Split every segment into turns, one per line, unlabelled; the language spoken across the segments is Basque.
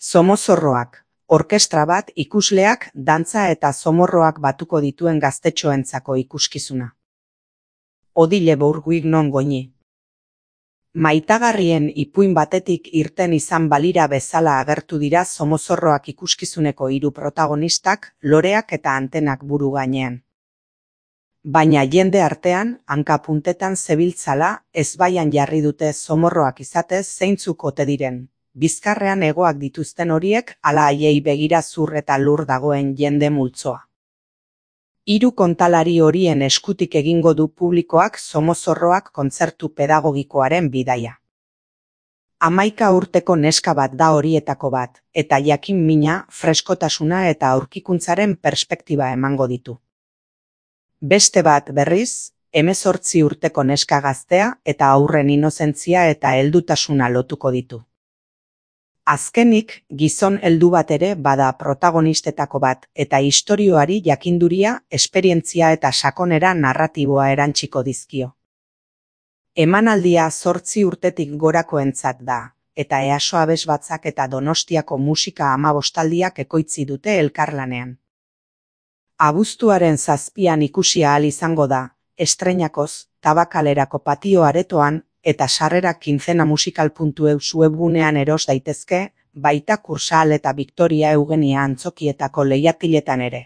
Somozorroak, orkestra bat ikusleak dantza eta zomorroak batuko dituen gaztetxoentzako ikuskizuna. Odile Bourguignon Goñi. Maitagarrien ipuin batetik irten izan balira bezala agertu dira Somozorroak ikuskizuneko hiru protagonistak, loreak eta antenak buru gainean. Baina jende artean, hanka-puntetan zebiltzala, ezbaian jarri dute zomorroak izatez zeintzuk ote diren. Bizkarrean hegoak dituzten horiek ala haiei begira zur eta lur dagoen jende multzoa. Hiru kontalari horien eskutik egingo du publikoak Somozorroak kontzertu pedagogikoaren bidaia. 11 urteko neska bat da horietako bat, eta jakin mina, freskotasuna eta aurkikuntzaren perspektiba emango ditu. Beste bat berriz, 18 urteko neska gaztea eta haurren inozentzia eta heldutasuna lotuko ditu. Azkenik, gizon heldu bat ere bada protagonistetako bat eta istorioari jakinduria, esperientzia eta sakonera narratiboa erantsiko dizkio. Emanaldia 8 urtetik gorakoentzat da, eta EASO Abesbatzak eta Donostiako Musika 15aldiak ekoitzi dute elkarlanean. Abuztuaren 7an ikusi ahal izango da, estreinakoz, Tabakalerako patio aretoan, eta sarrerak quincenamusical.eus webgunean eros daitezke, baita Kursal eta Victoria Eugenia antzokietako lehiatiletan ere.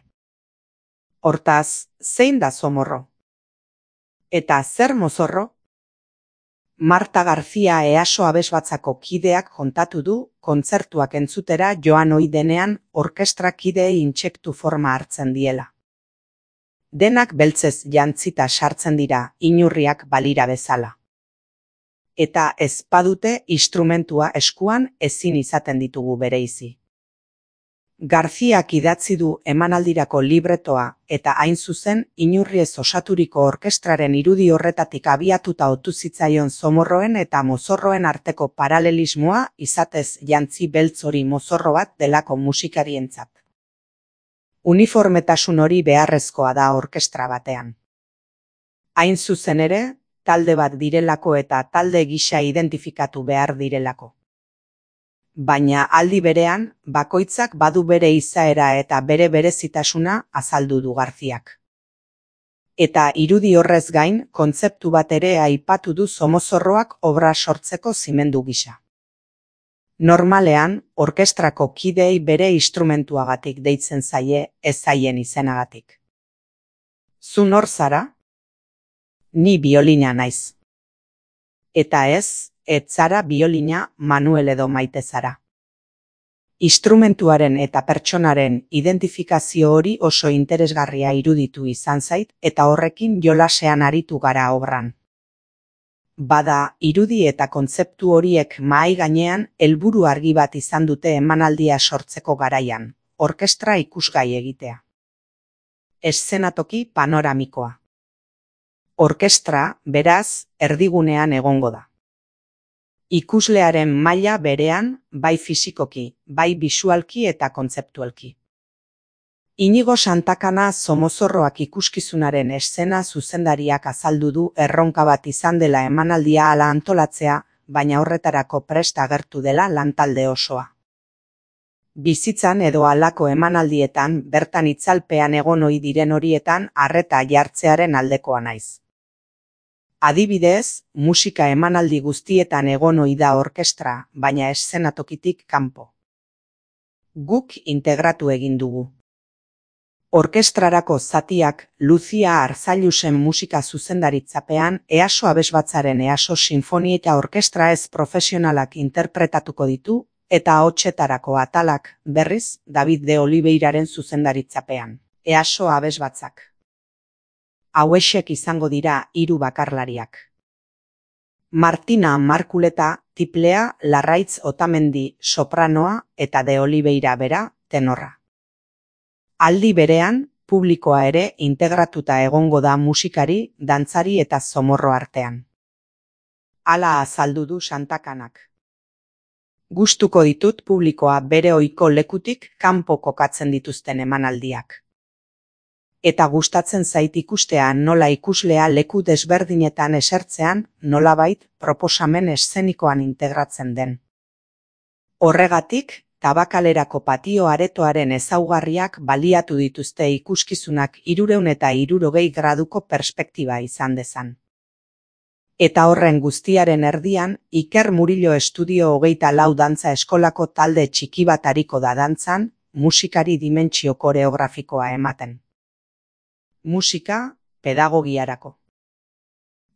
Hortaz, zein da zomorro? Eta zer mozorro? Marta García EASO Abesbatzako kideak kontatu du, kontzertuak entzutera joan ohi denean, orkestra kideei intsektu forma hartzen diela. Denak beltzez jantzita sartzen dira, inurriak balira bezala. Eta ez badute instrumentua eskuan ezin izaten ditugu bereizi. Garziak idatzi du emanaldirako libretoa eta hain zuzen inurriez osaturiko orkestraren irudi horretatik abiatuta otu zitzaion zomorroen eta mozorroen arteko paralelismoa izatez jantzi beltz hori mozorro bat delako musikarientzat. Uniformetasun hori beharrezkoa da orkestra batean. Hain zuzen ere, talde bat direlako eta talde gisa identifikatu behar direlako. Baina aldi berean, bakoitzak badu bere izaera eta bere berezitasuna azaldu du Garziak. Eta irudi horrez gain, kontzeptu bat ere aipatu du Somozorroak obra sortzeko zimendu gisa. Normalean, orkestrako kideei bere instrumentuagatik deitzen zaie, ez zaien izenagatik. Zu nor zara? Ni biolina naiz. Eta ez zara biolina Manuel edo Maite zara. Instrumentuaren eta pertsonaren identifikazio hori oso interesgarria iruditu izan zait eta horrekin jolasean aritu gara obran. Bada, irudi eta kontzeptu horiek mahai gainean helburu argi bat izan dute emanaldia sortzeko garaian, orkestra ikusgai egitea. Eszenatoki panoramikoa. Orkestra, beraz, erdigunean egongo da. Ikuslearen maila berean, bai fisikoki, bai bisualki eta kontzeptualki. Inigo Santakana Somozorroak ikuskizunaren eszena zuzendariak azaldu du erronka bat izan dela emanaldia hala antolatzea, baina horretarako prest agertu dela lantalde osoa. Bizitzan edo halako emanaldietan bertan itzalpean egon ohi diren horietan arreta jartzearen aldekoa naiz. Adibidez, musika emanaldi guztietan egon ohi da orkestra, baina eszenatokitik kanpo. Guk integratu egin dugu. Orkestrarako zatiak Lucia Arzallusen musika zuzendaritzapean EASO Abesbatzaren EASO Sinfonieta Orkestra ez profesionalak interpretatuko ditu eta ahotsetarako atalak berriz David de Oliveiraren zuzendaritzapean, EASO Abesbatzak. Hauexek izango dira 3 bakarlariak. Martina Markuleta, tiplea, Larraitz Otamendi, sopranoa eta de Oliveira bera, tenorra. Aldi berean, publikoa ere integratuta egongo da musikari, dantzari eta zomorro artean. Hala azaldu du Santakanak. Gustuko ditut publikoa bere ohiko lekutik kanpo kokatzen dituzten emanaldiak. Eta gustatzen zait ikustea nola ikuslea leku desberdinetan esertzean, nolabait proposamen eszenikoan integratzen den. Horregatik, Tabakalerako patio aretoaren ezaugarriak baliatu dituzte ikuskizunak 360 graduko perspektiba izan dezan. Eta horren guztiaren erdian, Iker Murillo Estudio 24 dantza eskolako talde txiki bat ariko da dantzan, musikari dimentsio koreografikoa ematen. Musika, pedagogiarako.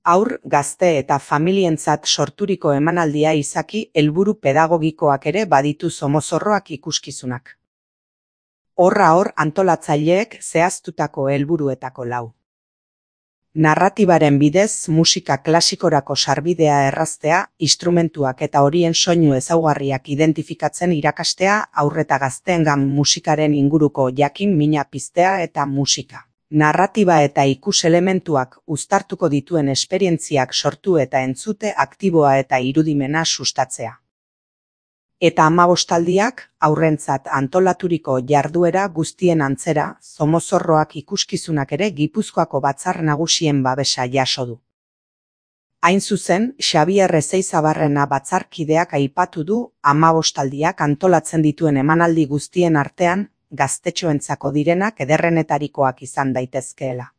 Haur, gazte eta familientzat sorturiko emanaldia izaki helburu pedagogikoak ere baditu Somozorroak ikuskizunak. Horra hor antolatzaileek zehaztutako helburuetako 4. Narratibaren bidez musika klasikorako sarbidea erraztea, instrumentuak eta horien soinu ezaugarriak identifikatzen irakastea, haur eta gazteengan musikaren inguruko jakin-mina piztea eta musika. Narratiba eta ikus-elementuak uztartuko dituen esperientziak sortu eta entzute aktiboa eta irudimena sustatzea. Eta 15aldiak, haurrentzat antolaturiko jarduera guztien antzera, Somozorroak ikuskizunak ere Gipuzkoako Batzar Nagusien babesa jaso du. Hain zuzen, Xabier Ezeizabarrena batzarkideak aipatu du 15aldiak antolatzen dituen emanaldi guztien artean, gaztetxoentzako direnak ederrenetarikoak izan daitezkeela.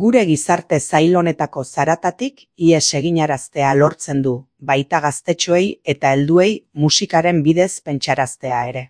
Gure gizarte zail honetako zaratatik ihes eginaraztea lortzen du, baita gaztetxoei eta helduei musikaren bidez pentsaraztea ere.